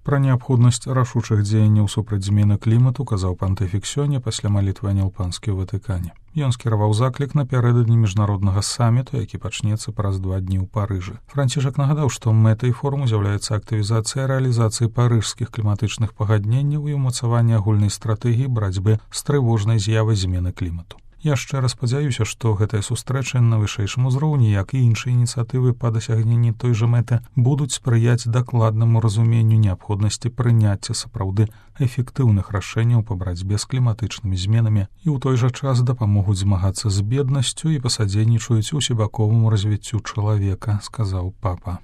Пра неабходнасць рашучых дзеянняў супраць змены клімату казаў пантыфік сёння пасля малітвы анілпанскі ў Ватыкане. Ён скіраваў заклік напярэдадні міжнароднага саміту, які пачнецца праз 2 дні ў Парыжы. Францішак нагадаў, што мэтай форуму з'яўляецца актывізацыя рэалізацыі парыжскіх кліматычных пагадненняў і ўмацавання агульнай стратэгіі барацьбы з трывожнай з'явай змены клімату. Я шчыра спадзяюся, што гэтая сустрэча на вышэйшым узроўні, як і іншыя ініцыятывы па дасягненні той жа мэты, будуць спрыяць дакладнаму разуменню неабходнасці прыняцця сапраўды эфектыўных рашэнняў па барацьбе з кліматычнымі зменамі і ў той жа час дапамогуць змагацца з беднасцю і пасадзейнічаюць усебаковаму развіццю чалавека, сказаў папа.